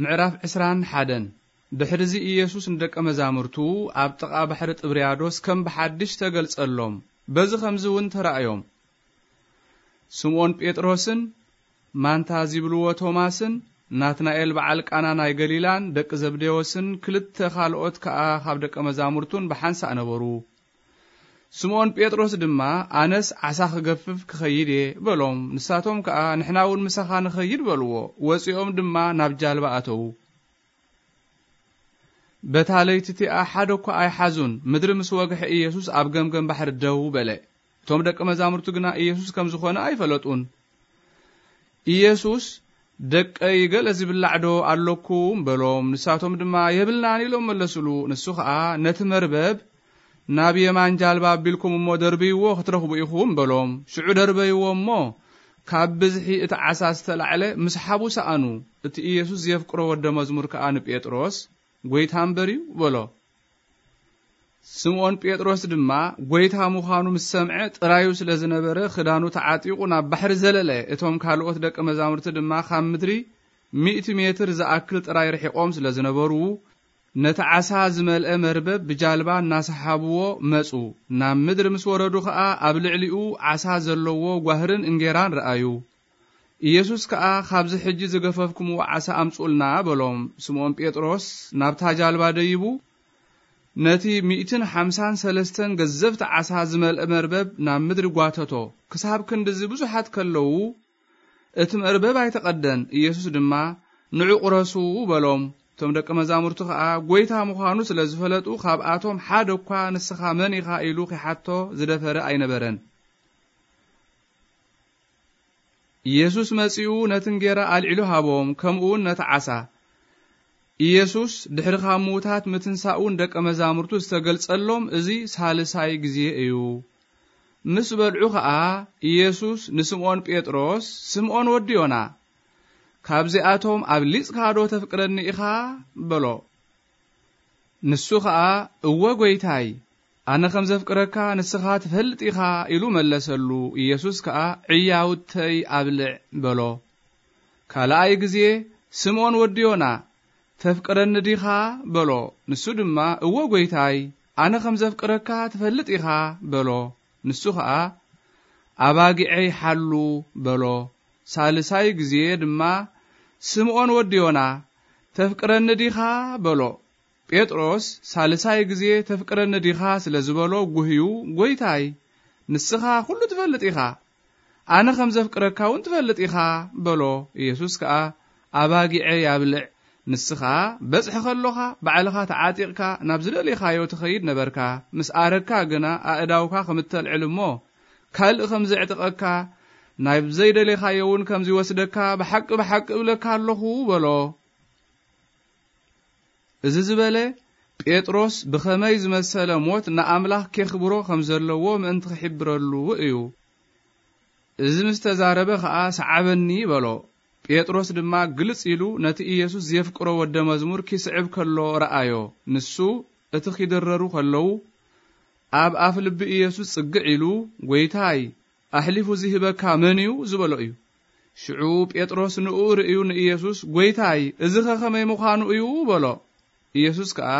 ምዕራፍ ዕስራን ሓደን። ድሕርዚ ኢየሱስ ንደቀ መዛሙርቱ ኣብ ጥቓ ባሕሪ ጥብርያዶስ ከም ብሓድሽ ተገልጸሎም። በዚ ኸምዚ እውን ተራእዮም። ስምዖን ጴጥሮስን ማንታ ዚብልዎ ቶማስን ናትናኤል በዓል ቃና ናይ ገሊላን ደቂ ዘብዴዎስን ክልተ ካልኦት ከኣ ካብ ደቀ መዛሙርቱን ብሓንሳእ ነበሩ። ስምዖን ጴጥሮስ ድማ፣ "ኣነስ ዓሳ ክገፍፍ ክኸይድ እየ" በሎም። ንሳቶም ከኣ፣ "ንሕና እውን ምሳኻ ንኸይድ" በልዎ። ወጺኦም ድማ ናብ ጃልባ ኣተዉ። በታ ለይቲ እቲኣ ሓደ እኳ ኣይሓዙን። ምድሪ ምስ ወግሐ፣ ኢየሱስ ኣብ ገምገም ባሕሪ ደው በለ። እቶም ደቀ መዛሙርቱ ግና ኢየሱስ ከም ዝኾነ ኣይፈለጡን። ኢየሱስ፣ "ደቀይ፣ ገለ ዝብላዕ ዶ ኣለኩም?" በሎም። ንሳቶም ድማ፣ "የብልናን" ኢሎም መለሱሉ። ንሱ ኸኣ፣ "ነቲ መርበብ ናብ የማን ጃልባ ኣቢልኩም እሞ ደርብይዎ፣ ክትረኽቡ ኢኹም" በሎም። ሽዑ ደርበይዎ እሞ፣ ካብ ብዝሒ እቲ ዓሳ ዝተላዕለ ምስ ሓቡ ሰኣኑ። እቲ ኢየሱስ ዘፍቅሮ ወደ መዝሙር ከኣ ንጴጥሮስ፣ "ጐይታ እምበር እዩ" በሎ። ስምዖን ጴጥሮስ ድማ ጐይታ ምዃኑ ምስ ሰምዐ፣ ጥራዩ ስለ ዝነበረ፣ ክዳኑ ተዓጢቑ ናብ ባሕሪ ዘለለ። እቶም ካልኦት ደቀ መዛሙርቲ ድማ ካብ ምድሪ ሚእቲ ሜትር ዝኣክል ጥራይ ርሒቖም ስለ ዝነበሩ፣ ነቲ ዓሳ ዝመልአ መርበብ ብጃልባ እናሰሓብዎ መጹ። ናብ ምድሪ ምስ ወረዱ ኸኣ፣ ኣብ ልዕሊኡ ዓሳ ዘለዎ ጓህርን እንጌራን ረኣዩ። ኢየሱስ ከኣ፣ "ካብዚ ሕጂ ዝገፈፍኩምዎ ዓሳ ኣምጹኡልና" በሎም። ስምዖን ጴጥሮስ ናብታ ጃልባ ደይቡ፣ ነቲ ሚእትን ሓምሳን ሰለስተን ገዘፍቲ ዓሳ ዝመልአ መርበብ ናብ ምድሪ ጓተቶ። ክሳብ ክንድዚ ብዙሓት ከለዉ፣ እቲ መርበብ ኣይተቐደን። ኢየሱስ ድማ፣ "ንዑ ቁረሱ" በሎም። እቶም ደቀ መዛሙርቱ ኸኣ፣ ጐይታ ምዃኑ ስለ ዝፈለጡ፣ ካብኣቶም ሓደ እኳ፣ "ንስኻ መን ኢኻ?" ኢሉ ኺሓቶ ዝደፈረ ኣይነበረን። ኢየሱስ መጺኡ ነቲ እንጌራ ኣልዒሉ ሃቦም፣ ከምኡውን ነቲ ዓሳ። ኢየሱስ ድሕሪ ካብ ምዉታት ምትንሳኡ ንደቀ መዛሙርቱ ዝተገልጸሎም እዚ ሳልሳይ ግዜ እዩ። ምስ በልዑ ኸኣ ኢየሱስ ንስምዖን ጴጥሮስ፣ "ስምዖን ወዲ ዮና፣ ካብዚኣቶም ኣብሊጽካ ዶ ተፍቅረኒ ኢኻ?" በሎ። ንሱ ኸኣ፣ "እወ ጐይታይ፣ ኣነ ኸም ዘፍቅረካ ንስኻ ትፈልጥ ኢኻ" ኢሉ መለሰሉ። ኢየሱስ ከኣ፣ "ዕያውተይ ኣብልዕ" በሎ። ካልኣይ ግዜ፣ "ስምዖን ወዲ ዮና፣ ተፍቅረኒ ዲኻ?" በሎ። ንሱ ድማ፣ "እወ ጐይታይ፣ ኣነ ኸም ዘፍቅረካ ትፈልጥ ኢኻ" በሎ። ንሱ ኸኣ፣ "ኣባጊዐይ ሓሉ" በሎ። ሳልሳይ ግዜ ድማ፣ "ስምዖን ወዲ ዮና፣ ተፍቅረኒ ዲኻ?" በሎ። ጴጥሮስ ሳልሳይ ግዜ "ተፍቅረኒ ዲኻ?" ስለ ዝበሎ፣ ጉህዩ፣ "ጐይታይ፣ ንስኻ ኵሉ ትፈልጥ ኢኻ፣ ኣነ ኸም ዘፍቅረካ እውን ትፈልጥ ኢኻ" በሎ። ኢየሱስ ከኣ፣ "ኣባጊዐይ ኣብልዕ፣ ንስኻ በጽሒ ከሎኻ ባዕልኻ ተዓጢቕካ ናብ ዝደሌኻዮ ትኸይድ ነበርካ፣ ምስ ኣረግካ ግና ኣእዳውካ ከም እተልዕል እሞ፣ ካልእ ከም ዘዕጥቐካ፣ ናብ ዘይደሌኻዮ እውን ከም ዚወስደካ ብሓቂ ብሓቂ እብለካ ኣለኹ" በሎ። እዚ ዝበለ፣ ጴጥሮስ ብኸመይ ዝመሰለ ሞት ንኣምላኽ ኬኽብሮ ከም ዘለዎ ምእንቲ ኺሕብረሉ እዩ። እዚ ምስ ተዛረበ ኸኣ፣ "ሰዓበኒ" በሎ። ጴጥሮስ ድማ ግልጽ ኢሉ ነቲ ኢየሱስ ዜፍቅሮ ወደ መዝሙር ኪስዕብ ከሎ ረኣዮ። ንሱ፣ እቲ ኺድረሩ ኸለዉ፣ ኣብ ኣፍ ልቢ ኢየሱስ ጽግዕ ኢሉ፣ "ጐይታይ፣ ኣሕሊፉ ዚህበካ መን እዩ?" ዝበሎ እዩ። ሽዑ ጴጥሮስ ንእኡ ርእዩ ንኢየሱስ፣ "ጐይታይ፣ እዚኸ ኸመይ ምዃኑ እዩ?" በሎ። ኢየሱስ ከኣ፣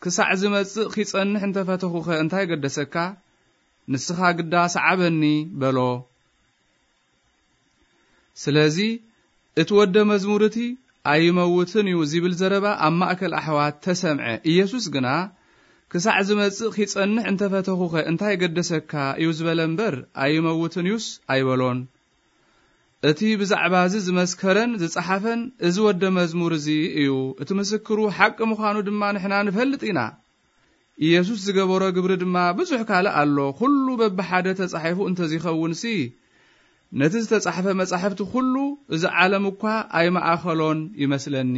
"ክሳዕ ዝመጽእ ኺጸንሕ እንተ ፈተኹኸ እንታይ ገደሰካ? ንስኻ ግዳ ሰዓበኒ" በሎ። ስለዚ እቲ ወደ መዝሙር እቲ "ኣይመውትን እዩ" ዚብል ዘረባ ኣብ ማእከል ኣሕዋት ተሰምዐ። ኢየሱስ ግና፣ "ክሳዕ ዝመጽእ ኺጸንሕ እንተ ፈተኹኸ እንታይ ገደሰካ?" እዩ ዝበለ እምበር፣ "ኣይመውትን እዩስ" ኣይበሎን። እቲ ብዛዕባ እዚ ዝመስከረን ዝጸሓፈን እዚ ወደ መዝሙር እዚ እዩ። እቲ ምስክሩ ሓቂ ምዃኑ ድማ ንሕና ንፈልጥ ኢና። ኢየሱስ ዝገበሮ ግብሪ ድማ ብዙሕ ካልእ ኣሎ። ኩሉ በብሓደ ተጻሒፉ እንተዚኸውንሲ፣ ነቲ ዝተጻሕፈ መጻሕፍቲ ኩሉ እዚ ዓለም እኳ ኣይመኣኸሎን ይመስለኒ።